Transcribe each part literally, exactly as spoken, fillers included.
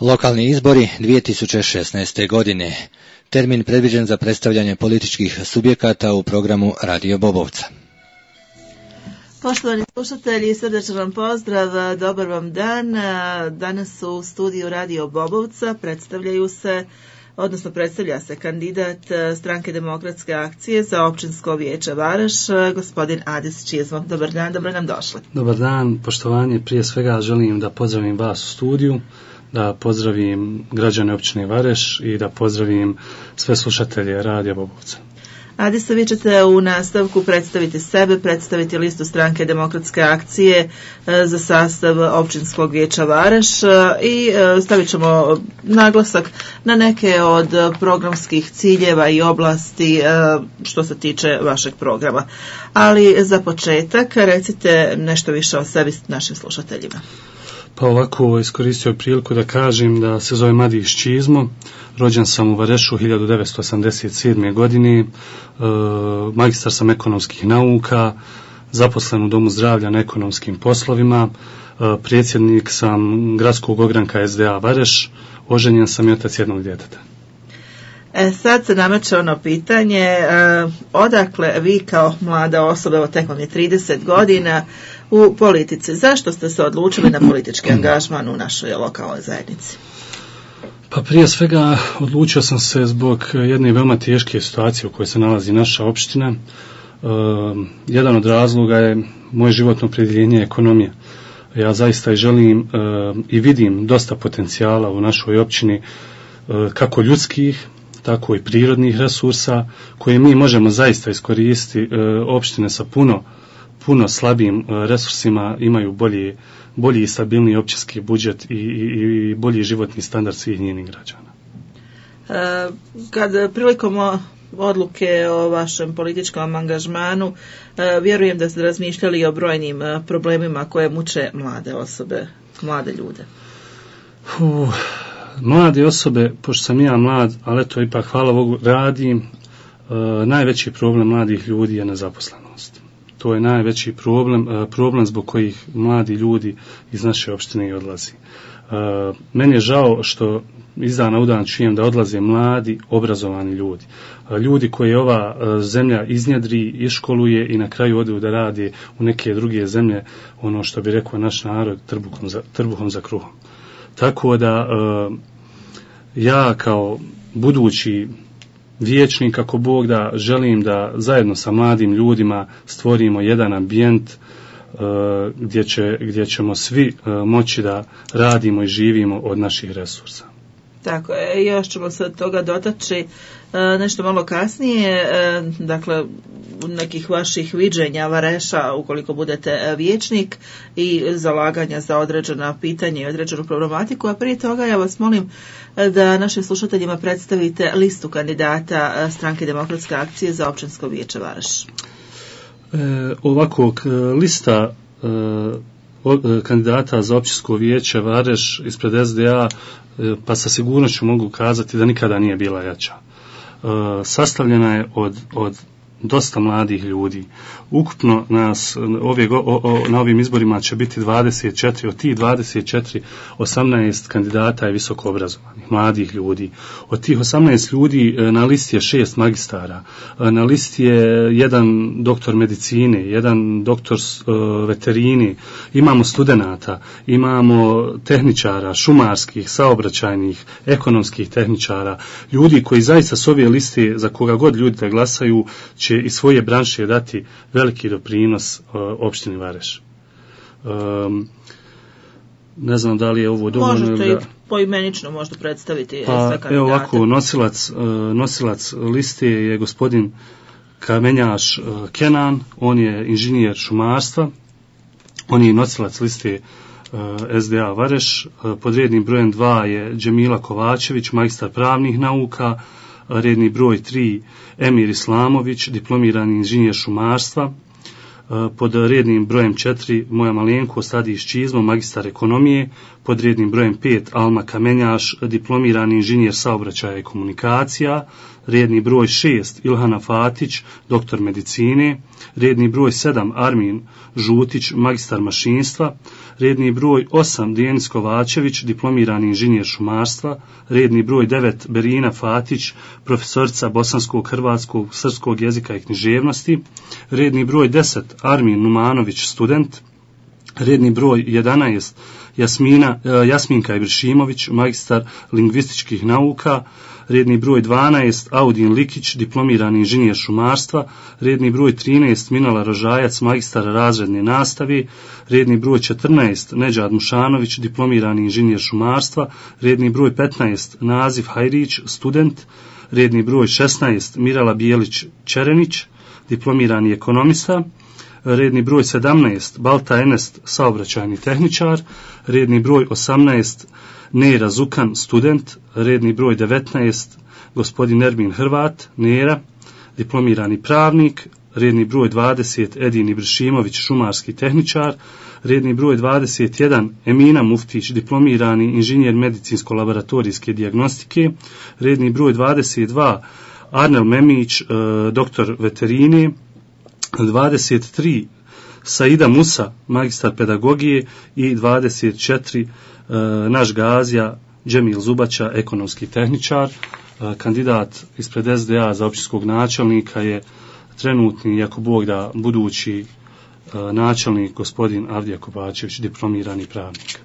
Lokalni izbori dvije tisuće šesnaeste. godine. Termin predviđen za predstavljanje političkih subjekata u programu Radio Bobovca. Poštovani slušatelji, srdečan vam pozdrav, dobar vam dan. Danas u studiju Radio Bobovca predstavljaju se, odnosno predstavlja se kandidat Stranke demokratske akcije za općinsko vijeće Vareš, gospodin Adis Čizmo. Dobar dan, dobro nam došli. Dobar dan, poštovanje. Prije svega želim da pozdravim vas u studiju, da pozdravim građane općine Vareš i da pozdravim sve slušatelje Radio Bobovca. Adisa, vi ćete u nastavku predstaviti sebe, predstaviti listu Stranke demokratske akcije za sastav općinskog vijeća Vareš i stavit ćemo naglasak na neke od programskih ciljeva i oblasti što se tiče vašeg programa. Ali za početak recite nešto više o sebi našim slušateljima. Pa ovako, iskoristio priliku da kažem da se zove Adis Čizmo, rođen sam u Varešu hiljadu devetsto osamdeset sedme. godine, e, magistar sam ekonomskih nauka, zaposlen u Domu zdravlja na ekonomskim poslovima, e, predsjednik sam gradskog ogranka S D A Vareš, oženjen sam i otac jednog djeteta. E, sad se nameće ono pitanje, e, odakle vi kao mlada osoba, evo tek vam je trideset godina, u politici. Zašto ste se odlučili na politički angažman u našoj lokalnoj zajednici? Pa prije svega odlučio sam se zbog jedne veoma teške situacije u kojoj se nalazi naša opština. E, jedan od razloga je moje životno opredjeljenje ekonomija. Ja zaista i želim e, i vidim dosta potencijala u našoj općini, e, kako ljudskih, tako i prirodnih resursa koje mi možemo zaista iskoristiti. E, opštine sa puno puno slabijim resursima imaju bolji, bolji i stabilniji općinski budžet i, i, i bolji životni standard svih njenih građana. E, kad prilikom odluke o vašem političkom angažmanu, e, vjerujem da ste razmišljali o brojnim problemima koje muče mlade osobe, mlade ljude. Uh, mlade osobe, pošto sam ja mlad, ali to ipak hvala Bogu radim, e, najveći problem mladih ljudi je nezaposlenost. To je najveći problem, problem zbog kojih mladi ljudi iz naše opštine i odlazi. Meni je žao što iz dana u dan čujem da odlaze mladi, obrazovani ljudi. Ljudi koje ova zemlja iznjedri, iškoluje i na kraju odu da radi u neke druge zemlje, ono što bi rekao naš narod, trbuhom za, trbuhom za kruhom. Tako da ja kao budući vijećnik, ako Bog da, želim da zajedno sa mladim ljudima stvorimo jedan ambijent uh, gdje, će, gdje ćemo svi uh, moći da radimo i živimo od naših resursa. Tako je, još ćemo se od toga dotaći uh, nešto malo kasnije, uh, dakle nekih vaših viđenja Vareša ukoliko budete vijećnik i zalaganja za određena pitanja i određenu problematiku, a prije toga ja vas molim da našim slušateljima predstavite listu kandidata Stranke demokratske akcije za općinsko vijeće Vareš. E, ovako, lista e, o, kandidata za općinsko vijeće Vareš ispred S D A, e, pa sa sigurnošću mogu kazati da nikada nije bila jača. E, sastavljena je od, od dosta mladih ljudi. Ukupno nas ove, o, o, na ovim izborima će biti dvadeset četiri, od tih dvadeset četiri, osamnaest kandidata je visoko obrazovanih, mladih ljudi. Od tih osamnaest ljudi na listi je šest magistara, na listi je jedan doktor medicine, jedan doktor uh, veterini, imamo studenata, imamo tehničara, šumarskih, saobraćajnih, ekonomskih tehničara, ljudi koji zaista s ove liste, za koga god ljudi da glasaju, će iz svoje branše dati veliki doprinos uh, opštini Vareš. Um, ne znam da li je ovo dovoljno. Možete i poimenično možda predstaviti pa, sve kandidate. Evo ovako, nosilac, uh, nosilac liste je gospodin Kamenjaš uh, Kenan, on je inženjer šumarstva, on je nosilac liste uh, S D A Vareš, uh, pod rednim brojem dva je Džemila Kovačević, magistar pravnih nauka, redni broj tri Emir Islamović, diplomirani inženjer šumarstva, pod rednim brojem četiri moja malenkost Adis Čizmo, magistar ekonomije, pod rednim brojem pet Alma Kamenjaš, diplomirani inženjer saobraćaja i komunikacija, redni broj šest Ilhana Fatić, doktor medicine, redni broj sedam Armin Žutić, magistar mašinstva, redni broj osam Denis Kovačević, diplomirani inženjer šumarstva, redni broj devet Berina Fatić, profesorica bosanskog, hrvatskog, srpskog jezika i književnosti, redni broj deset Armin Numanović, student, redni broj jedanaest Jasmina, Jasminka Ibršimović, magistar lingvističkih nauka, redni broj dvanaest Audin Likić, diplomirani inženjer šumarstva, redni broj trinaest Minala Rožajac, magistar razredne nastave, redni broj četrnaest Neđad Mušanović, diplomirani inženjer šumarstva, redni broj petnaest Nazif Hajrić, student, redni broj šesnaest Mirala Bijelić Čerenić, diplomirani ekonomista, redni broj sedamnaest Balta Enest, saobraćajni tehničar, redni broj osamnaest Nera Zukan, student, redni broj devetnaest gospodin Ermin Hrvat, Nera, diplomirani pravnik, redni broj dvadeset Edin Ibršimović, šumarski tehničar, redni broj dvadeset jedan Emina Muftić, diplomirani inženjer medicinsko-laboratorijske dijagnostike, redni broj dvadeset dva Arnel Memić, doktor veterine, dvadeset tri Saida Musa, magistar pedagogije i dvadeset četiri naš Gazija Džemil Zubača, ekonomski tehničar. Kandidat ispred S D A za općinskog načelnika je trenutni, jako Bog da, budući načelnik gospodin Avdija Kovačević, diplomirani pravnik.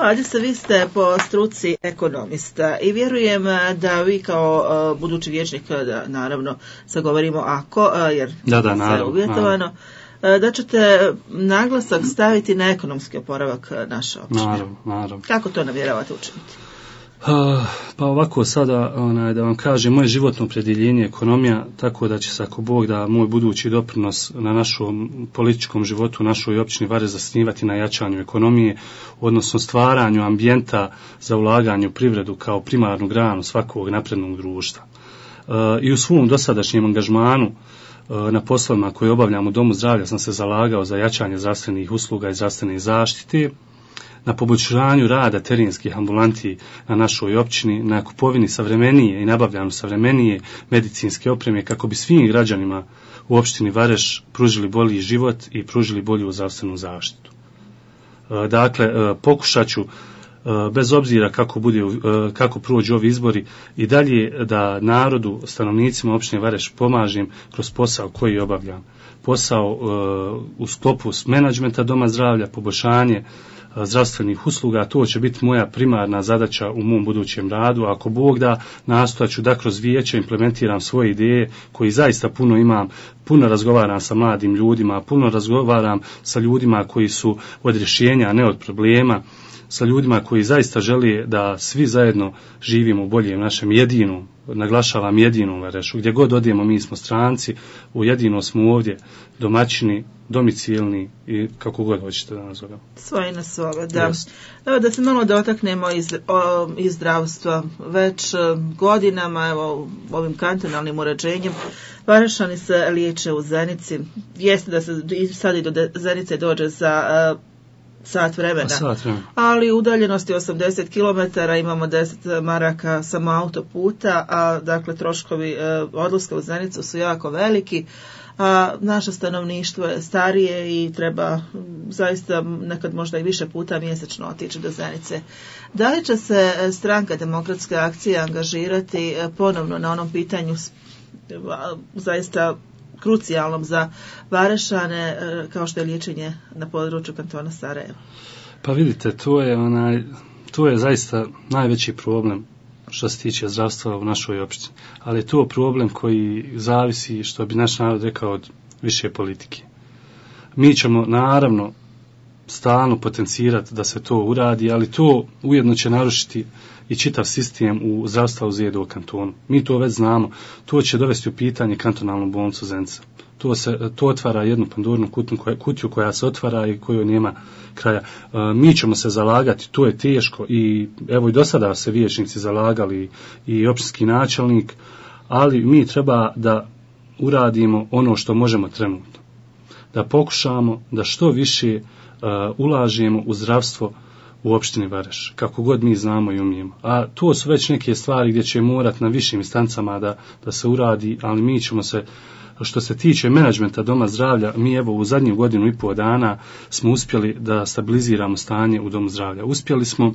Ajde se, vi ste po struci ekonomista i vjerujem da vi kao uh, budući vijećnik, da naravno sad govorimo ako, uh, jer da, da, sve je uvjetovano, uh, da ćete naglasak staviti na ekonomski oporavak naše općine. Naravno, naravno. Kako to namjeravate učiniti? Uh, pa ovako sada, onaj, da vam kažem, moje životno opredjeljenje je ekonomija, tako da će se, ako Bog da, moj budući doprinos na našom političkom životu, našoj općini Vareš zasnivati na jačanju ekonomije, odnosno stvaranju ambijenta za ulaganje u privredu kao primarnu granu svakog naprednog društva. Uh, I u svom dosadašnjem angažmanu uh, na poslovima koje obavljam u Domu zdravlja sam se zalagao za jačanje zdravstvenih usluga i zdravstvene zaštite, na poboljšanju rada terenskih ambulanti na našoj općini, na kupovini savremenije i nabavljanju savremenije medicinske opreme kako bi svim građanima u opštini Vareš pružili bolji život i pružili bolju zdravstvenu zaštitu. Dakle, pokušat ću, bez obzira kako, bude, kako prođu ovi izbori, i dalje da narodu, stanovnicima opštine Vareš pomažem kroz posao koji obavljam. Posao u sklopu menadžmenta Doma zdravlja, poboljšanje zdravstvenih usluga, to će biti moja primarna zadaća u mom budućem radu. Ako Bog da, nastojat ću da kroz vijeće implementiram svoje ideje koji zaista puno imam, puno razgovaram sa mladim ljudima, puno razgovaram sa ljudima koji su od rješenja, a ne od problema, sa ljudima koji zaista žele da svi zajedno živimo u boljem našem jedinom, naglašavam jedinom Varešu, gdje god odijemo mi smo stranci, u jedino smo ovdje domaćini, domicilni i kako god hoćete da nazovemo. Svoji na svoga, da. Yes. Evo da se malo dotaknemo iz, o, iz zdravstva. Već godinama, evo, ovim kantonalnim uređenjem, Varešani se liječe u Zenici. Jeste da se sad i do Zenice dođe za uh, sat vremena, sat vremena, ali udaljenosti osamdeset kilometara, imamo deset maraka samo autoputa, a dakle troškovi uh, odlaska u Zenicu su jako veliki. A naše stanovništvo je starije i treba zaista nekad možda i više puta mjesečno otići do Zenice. Da li će se stranka Demokratske akcije angažirati ponovno na onom pitanju zaista krucijalnom za Varešane, kao što je liječenje na području kantona Sarajevo? Pa vidite, to je, onaj, to je zaista najveći problem što se tiče zdravstva u našoj opštini. Ali je to problem koji zavisi, što bi naš narod rekao, od više politike. Mi ćemo naravno stalno potencirati da se to uradi, ali to ujedno će narušiti i čitav sistem u zdravstva u Zedu kantonu. Mi to već znamo. To će dovesti u pitanje kantonalnu bolnicu Zenica. To, se, to otvara jednu pandurnu kutiju koja se otvara i koju nema kraja. E, mi ćemo se zalagati, to je teško i evo i do sada se vijećnici zalagali i općinski načelnik, ali mi treba da uradimo ono što možemo trenutno. Da pokušamo da što više uh, ulažemo u zdravstvo u opštini Vareš, kako god mi znamo i umijemo. A to su već neke stvari gdje će morati na višim instancama da, da se uradi, ali mi ćemo se, što se tiče menadžmenta Doma zdravlja, mi evo u zadnju godinu i pol dana smo uspjeli da stabiliziramo stanje u Domu zdravlja. Uspjeli smo e,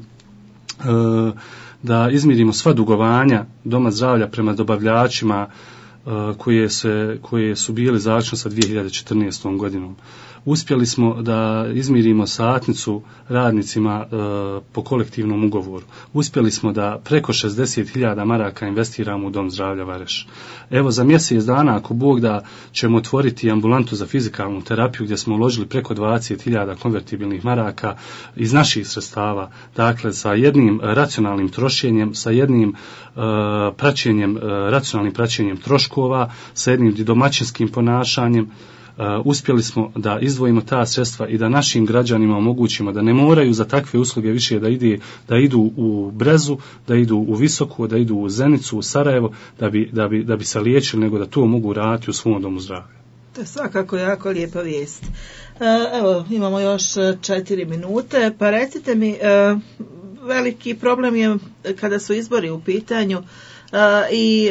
da izmirimo sva dugovanja Doma zdravlja prema dobavljačima e, koje, se, koje su bili završeni sa dvije hiljade četrnaestom godinom. Uspjeli smo da izmirimo satnicu radnicima e, po kolektivnom ugovoru. Uspjeli smo da preko šezdeset hiljada maraka investiramo u Dom zdravlja Vareš. Evo za mjesec dana, ako Bog da, ćemo otvoriti ambulantu za fizikalnu terapiju gdje smo uložili preko dvadeset hiljada konvertibilnih maraka iz naših sredstava. Dakle, sa jednim racionalnim trošenjem, sa jednim e, praćenjem, e, racionalnim praćenjem troškova, sa jednim domaćinskim ponašanjem. Uh, uspjeli smo da izdvojimo ta sredstva i da našim građanima omogućimo da ne moraju za takve usluge više da, ide, da idu u Brezu, da idu u Visoku, da idu u Zenicu, u Sarajevo, da bi, da bi, da bi se liječili, nego da to mogu raditi u svom domu zdravlja. To je svakako jako lijepa vijest. Evo, imamo još četiri minute, pa recite mi, veliki problem je kada su izbori u pitanju i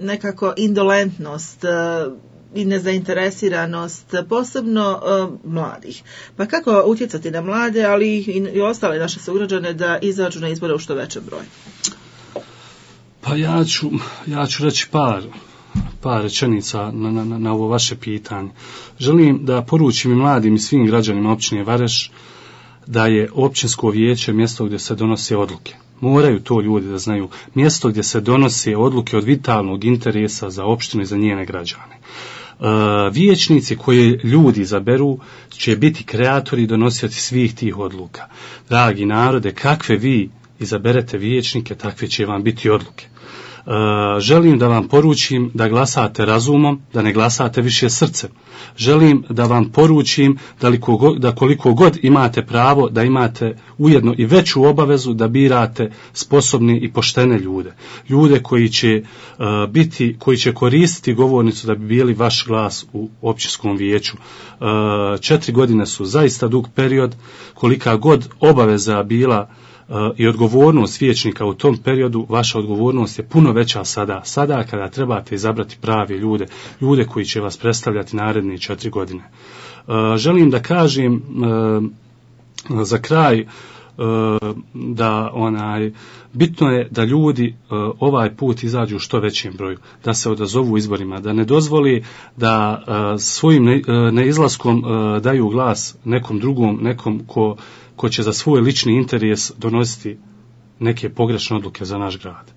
nekako indolentnost i nezainteresiranost, posebno uh, mladih. Pa kako utjecati na mlade, ali i, i ostale naše sugrađane da izađu na izbore u što većem broju? Pa ja ću, ja ću reći par, par rečenica na, na, na ovo vaše pitanje. Želim da poručim i mladim i svim građanima općine Vareš da je općinsko vijeće mjesto gdje se donose odluke. Moraju to ljudi da znaju. Mjesto gdje se donose odluke od vitalnog interesa za opštinu i za njene građane. Uh, vijećnici koje ljudi izaberu će biti kreatori i donosioci svih tih odluka. Dragi narode, kakve vi izaberete vijećnike, takve će vam biti odluke. Uh, želim da vam poručim da glasate razumom, da ne glasate više srcem. Želim da vam poručim da, liko, da koliko god imate pravo, da imate ujedno i veću obavezu da birate sposobne i poštene ljude. Ljude koji će uh, biti, koji će koristiti govornicu da bi bili vaš glas u općinskom vijeću. Uh, četiri godine su zaista dug period, kolika god obaveza bila Uh, i odgovornost vijećnika u tom periodu, vaša odgovornost je puno veća sada. Sada kada trebate izabrati prave ljude, ljude koji će vas predstavljati naredne četiri godine. Uh, želim da kažem uh, za kraj uh, da onaj bitno je da ljudi uh, ovaj put izađu u što većem broju, da se odazovu izborima, da ne dozvoli da uh, svojim ne, uh, neizlaskom uh, daju glas nekom drugom, nekom ko ko će za svoj lični interes donositi neke pogrešne odluke za naš grad.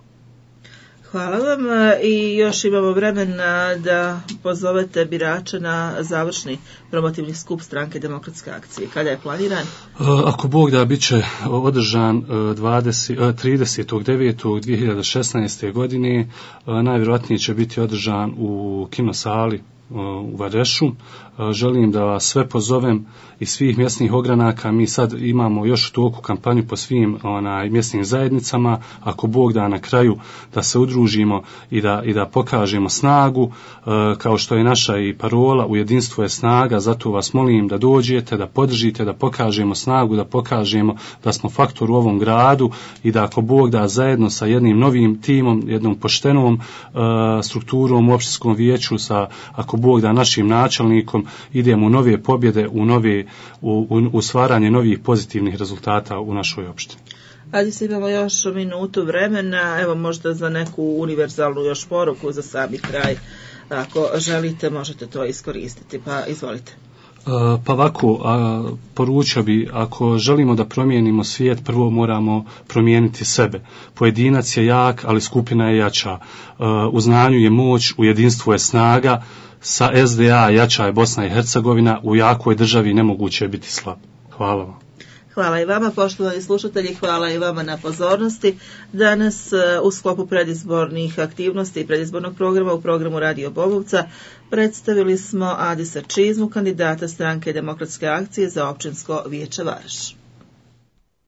Hvala vam i još imamo vremena da pozovete birače na završni promotivni skup Stranke demokratske akcije. Kada je planiran? Ako Bog da, bit će održan tridesetog devetog dvije hiljade šesnaeste. godine. Najvjerojatnije će biti održan u kinosali u Varešu. Želim da vas sve pozovem iz svih mjesnih ogranaka. Mi sad imamo još u toku kampanju po svim onaj, mjesnim zajednicama. Ako Bog da, na kraju da se udružimo i da, i da pokažemo snagu, kao što je naša i parola, u jedinstvu je snaga. Zato vas molim da dođete, da podržite, da pokažemo snagu, da pokažemo da smo faktor u ovom gradu i da ako Bog da, zajedno sa jednim novim timom, jednom poštenom uh, strukturom u opštinskom vijeću, sa ako Bog da, našim načelnikom, idemo u nove pobjede, u nove u, u, u stvaranje novih pozitivnih rezultata u našoj opštini. Ajde, se imamo još minutu vremena, evo možda za neku univerzalnu još poruku za sami kraj. Ako želite, možete to iskoristiti, pa izvolite. Pa ovako, a, poručio bi, ako želimo da promijenimo svijet, prvo moramo promijeniti sebe. Pojedinac je jak, ali skupina je jača. A, u znanju je moć, u jedinstvu je snaga. Sa S D A jača je Bosna i Hercegovina, u jakoj državi nemoguće je biti slab. Hvala vam. Hvala i vama, poštovani slušatelji, hvala i vama na pozornosti. Danas u sklopu predizbornih aktivnosti i predizbornog programa u programu Radio Bobovca predstavili smo Adisa Čizmu, kandidata Stranke demokratske akcije za općinsko vijeće Vareš.